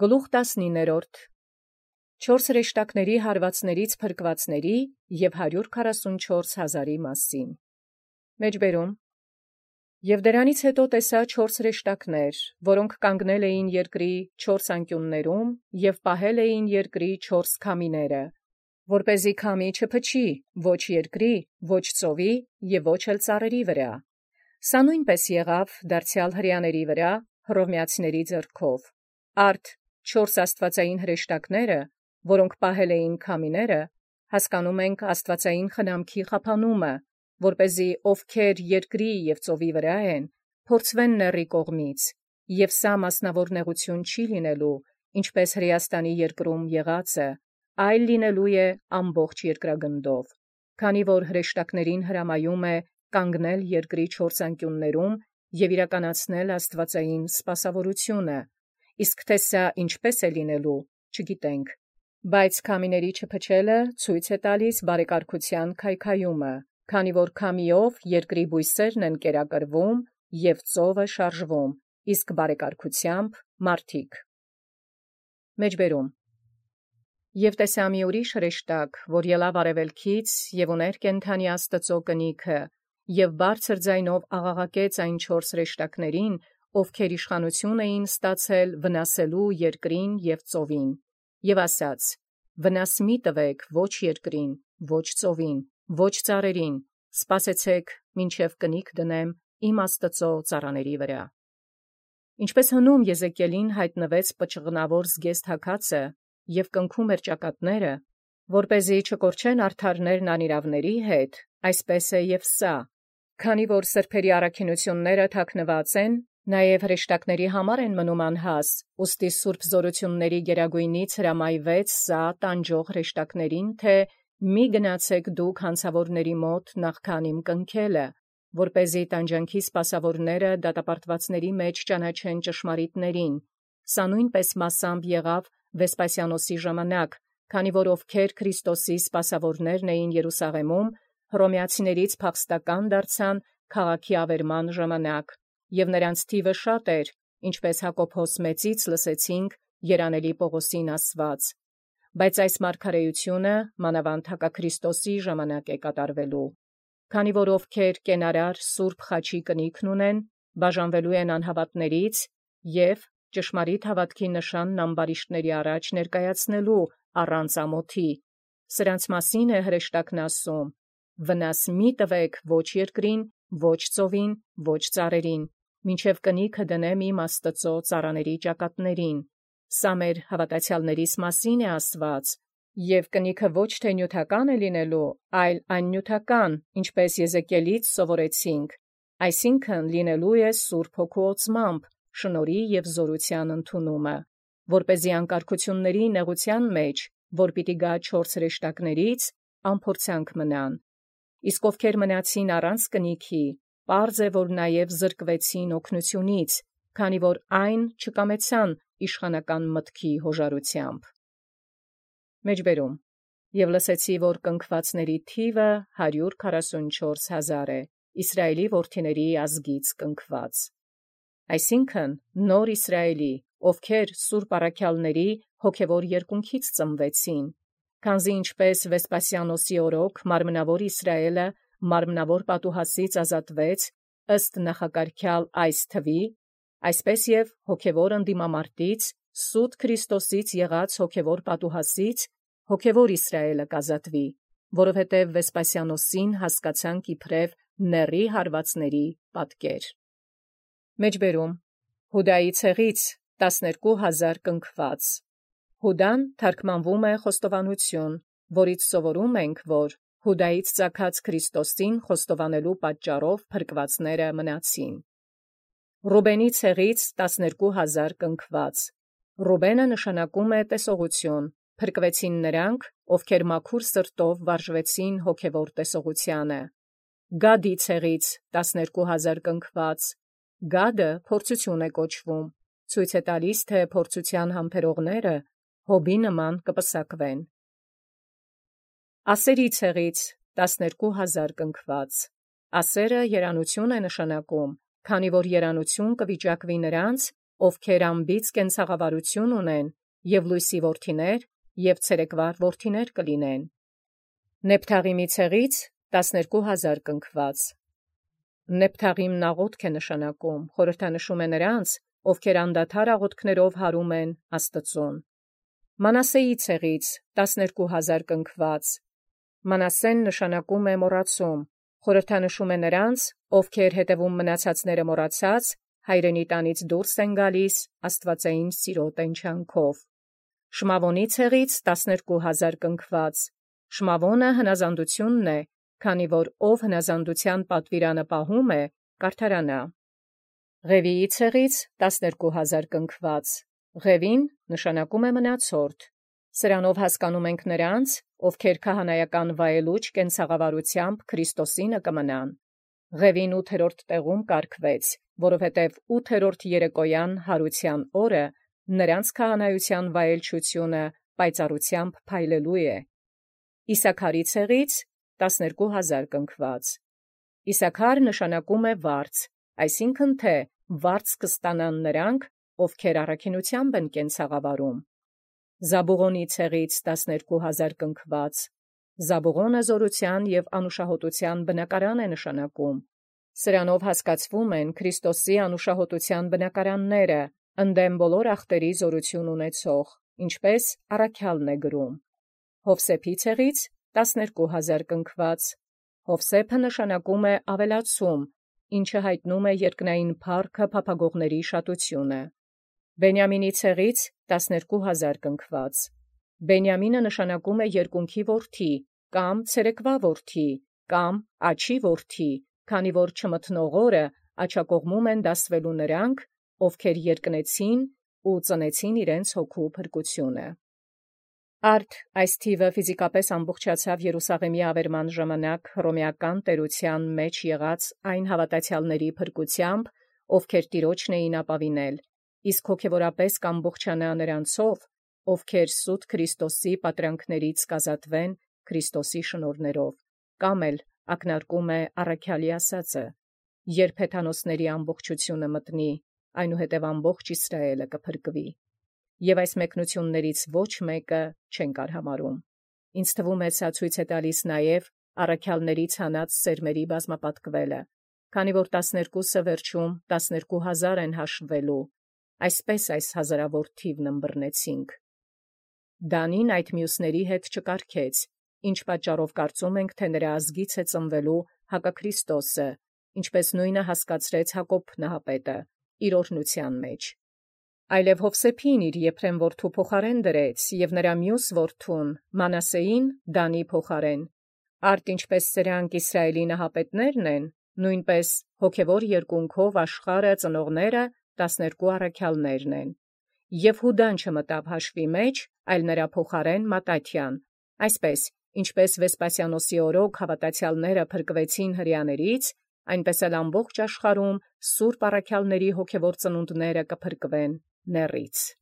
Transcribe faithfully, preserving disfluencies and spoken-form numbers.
Գլուխ տասնիններորդ չորս հրեշտակների հարվածներից փրկվածների և հարյուր քառասունչորս հազարի մասին։ Մեջբերում Եւ դրանից հետո տեսա չորս հրեշտակներ, որոնք կանգնել էին երկրի չորս անկյուններում և պահել էին երկրի չորս քամիները, որպեսզի քամի չփչի ոչ երկրի, ոչ ծովի և ոչ էլ ծառերի վրա։ Սա նույնպես եղավ դարձյալ հրեաների վրա հռոմեացիների ձեռքով։ Արդ չորս աստվածային հրեշտակները, որոնք պահել էին քամիները, հասկանում ենք աստվածային խնամքի խափանումը, որպեսզի ովքեր երկրի և ծովի վրա են, փորձվեն նեռի կողմից, և սա մասնավոր նեղություն չի լինելու, ինչպես Հրեաստանի երկրում եղածը, այլ լինելու է ամբողջ երկրագնդով, քանի որ հրեշտակներին հրամայում է կանգնել երկրի չորս անկյուններում և իրականացնել աստվածային սպասավորությունը, իսկ թե սա ինչպես է լինելու, չգիտենք, բայց քամիների չփչելը ցույց է տալիս բարեկարգության քայքայումը, քանի որ քամիով երկրի բույսերն են կերակրվում և ծովը շարժվում, իսկ բարեկարգությամբ մարդիկ։ Մեջբերում Եւ տեսա մի ուրիշ հրեշտակ, որ ելավ արևելքից և ուներ կենդանի Աստծու կնիքը, և բարձր ձայնով աղաղակեց այն չորս հրեշտակներին, ովքեր իշխանություն էին ստացել վնասելու երկրին և ծովին, և ասաց. վնաս մի տվեք ոչ երկրին, ոչ ծովին, ոչ ծառերին, սպասեցեք, մինչև կնիք դնեմ իմ Աստծու ծառաների վրա։ Ինչպես հնում Եզեկիելին հայտնվեց պճղնավոր զգեստ հագածը և կնքում էր ճակատները, որպեսզի չկորչեն արդարներն անիրավների հետ, այսպես է և սա, քանի որ սրբերի առաքինությունները թաքնված են, նաև հրեշտակների համար են մնում անհաս, ուստի սուրբ զորությունների գերագույնից հրամայվեց սա տանջող հրեշտակներին, թե մի գնացեք դուք հանցավորների մոտ նախքան իմ կնքելը, որպեսզի տանջանքի սպասավորները դատապարտվածների մեջ ճանաչեն ճշմարիտներին։ Սա նույնպես մասամբ եղավ Վեսպասիանոսի ժամանակ, քանի որ ովքեր Քրիստոսի սպասավորներն էին Երուսաղեմում, հռոմեացիներից փախստական դարձան քաղաքի ավերման ժամանակ, և նրանց թիվը շատ էր, ինչպես Հակոբոս մեծից լսեցինք երանելի Պողոսին ասված, բայց այս մարգարեությունը մանավանդ հակաքրիստոսի ժամանակ է կատարվելու, քանի որ ովքեր կենարար սուրբ խաչի կնիքն ունեն, բաժանվելու են անհավատներից և ճշմարիտ հավատքի նշանն ամբարիշտների առաջ ներկայացնելու առանց ամոթի։ Սրանց մասին է հրեշտակն ասում. վնաս մի տվեք ոչ երկրին, ոչ ծովին, ոչ ծառերին, մինչև կնիքը դնեմ իմ Աստծու ծառաների ճակատներին։ Սա մեր հավատացյալներիս մասին է ասված, և կնիքը ոչ թե նյութական է լինելու, այլ աննյութական, ինչպես Եզեկիելից սովորեցինք, այսինքն լինելու է Սուրբ Հոգու օծմամբ, շնորհի և զորության ընդունումը, որպեսզի անկարգությունների նեղության մեջ, որ պիտի գա չորս հրեշտակներից, անփորձանք մնան։ Իսկ ովքեր մնացին առանց կնիքի, պարզ է, որ նաև զրկվեցին օգնությունից, քանի որ այն չկամեցան իշխանական մտքի հոժարությամբ։ Մեջբերում Եւ լսեցի, որ կնքվածների թիվը հարյուր քառասունչորս հազար է, Իսրայելի որդիների ազգից կնքված, այսինքն նոր Իսրայելի, ովքեր սուրբ առաքյալների հոգևոր երկունքից ծնվեցին, քանզի ինչպես Վեսպասիանոսի օրոք մարմնավոր Իսրայելը մարմնավոր պատուհասից ազատվեց ըստ նախակարգյալ այս թվի, այսպես և հոգևոր ընդդիմամարտից սուտ Քրիստոսից եղած հոգևոր պատուհասից հոգևոր Իսրայելը կազատվի, որովհետև Վեսպասիանոսին հասկացանք իբրև նեռի հարվածների պատկեր։ Մեջբերում Հուդայի ցեղից տասներկու հազար կնքված։ Հուդան թարգմանվում է խոստովանություն, որից սովորում ենք, որ Հուդայից ծագած Քրիստոսին խոստովանելու պատճառով փրկվածները մնացին։ Ռուբենի ցեղից տասներկու հազար կնքված։ Ռուբենը նշանակում է տեսողություն, փրկվեցին նրանք, ովքեր մաքուր սրտով վարժվեցին հոգևոր տեսողությանը։ Գադի ցեղից տասներկու հազար կնքված։ Գադը փորձություն է կոչվում, ցույց է տալիս, թե փորձության համբերողները Հոբի նման կպսակվեն։ Ասերի ցեղից տասներկու հազար կնքված։ Ասերը երանություն է նշանակում, քանի որ երանություն կվիճակվի նրանց, ովքեր անբիծ կենցաղավարություն ունեն, և լույսի որդիներ, և ցերեկվար որդիներ կլինեն։ Նեփթաղիմի ցեղից տասներկու հազար կնքված։ Նեփթաղիմն աղոթք է նշանակում, խորհրդանշում է նրանց, ովքեր անդադար աղոթքներով հարում են Աստծուն։ Մանասեի ցեղից տասներկու հազար կնքված։ Մանասեն նշանակում է մոռացում, խորհրդանշում է նրանց, ովքեր հետևում մնացածները մոռացած, հայրենի տանից դուրս են գալիս աստվածային սիրո տենչանքով։ Շմավոնի ցեղից տասներկու հազար կնքված։ Շմավոնը հնազանդությունն է, քանի որ ով հնազանդության պատվիրանը պահում է, կարդարանա։ Ղևիի ցեղից տասներկու հազար կնքված։ Ղևին նշանակում է մնացորդ։ Սրանով հասկանում ենք նրանց, ովքեր քահանայական վայելուչ կենցաղավարությամբ Քրիստոսինը կմնան։ Ղևին ութերորդ տեղում կարգվեց, որովհետև ութերորդ երեկոյան հարության օրը նրանց քահանայության վայելչությունը պայծառությամբ փայլելու է։ Իսաքարի ցեղից տասներկու հազար կնքված։ Իսաքար նշանակում է վարձ, այսինքն թե վարձ կստանան նրանք, ովքեր առաքինությամբ են կենցաղավարում։ Զաբուղոնի ցեղից տասներկու հազար կնքված։ Զաբուղոնը զորության և անուշահոտության բնակարան է նշանակում։ Սրանով հասկացվում են Քրիստոսի անուշահոտության բնակարանները, ընդդեմ բոլոր ախտերի զորություն ունեցող, ինչպես առաքյալն է գրում։ Հովսեփի ցեղից տասներկու հազար կնքված։ Հովսեփը նշանակում է ավելացում, ինչը հայտնում է երկնային փառքը փափագողների շատությունը։ Բենյամինի ցեղից տասներկու հազար կնքված։ Բենյամինը նշանակում է երկունքի որդի, կամ ցերեկվա որդի, կամ աջի որդի, քանի որ չմթնող օրը աջակողմում են դասվելու նրանք, ովքեր երկնեցին ու ծնեցին իրենց հոգու փրկությունը։ Արդ այս թիվը ֆիզիկապես ամբողջացավ Երուսաղեմի ավերման ժամանակ հռոմեական տերության մեջ եղած այն հավատացյալների փրկությամբ, ովքեր Տիրոջն էին ապավինել, իսկ հոգևորապես կամբողջանա նրանցով, ովքեր սուտ Քրիստոսի պատրանքներից կազատվեն Քրիստոսի շնորհներով, կամ էլ ակնարկում է առաքյալի ասածը. երբ հեթանոսների ամբողջությունը մտնի, այնուհետև ամբողջ Իսրայելը կփրկվի։ Եվ այս մեկնություններից ոչ մեկը չենք արհամարում։ Ինձ թվում է սա ցույց է տալիս նաև առաքյալներից հանած սերմերի բազմապատկվելը, քանի որ տասներկուսը վերջում տասներկու հազար են հաշվվելու, այսպես այս հազարավոր թիվն ըմբռնեցինք։ Դանին այդ մյուսների հետ չկարգեց, ինչ պատճառով կարծում ենք, թե նրա ազգից է ծնվելու Հակաքրիստոսը, ինչպես նույնը հասկացրեց Հակոբ նահապետը իր օրհնության մեջ։ Այլև Հովսեփին իր Եփրեմ որդու փոխարեն դրեց, և նրա մյուս որդուն Մանասեին Դանի փոխարեն։ Արդ ինչպես սրանք Իսրայելի նահապետներն են, նույնպես հոգևոր երկունքով աշխարհը ծնողները տասներկու առաքյալներն են։ Եվ Հուդան չմտավ հաշվի մեջ, այլ նրա փոխարեն Մատաթյան, այսպես, ինչպես Վեսպասիանոսի օրոք հավատացյալները փրկվեցին հրեաներից, այնպես էլ ամբողջ աշխարհում սուրբ առաքյալների հոգևոր ծնունդները կփրկվեն նեռից։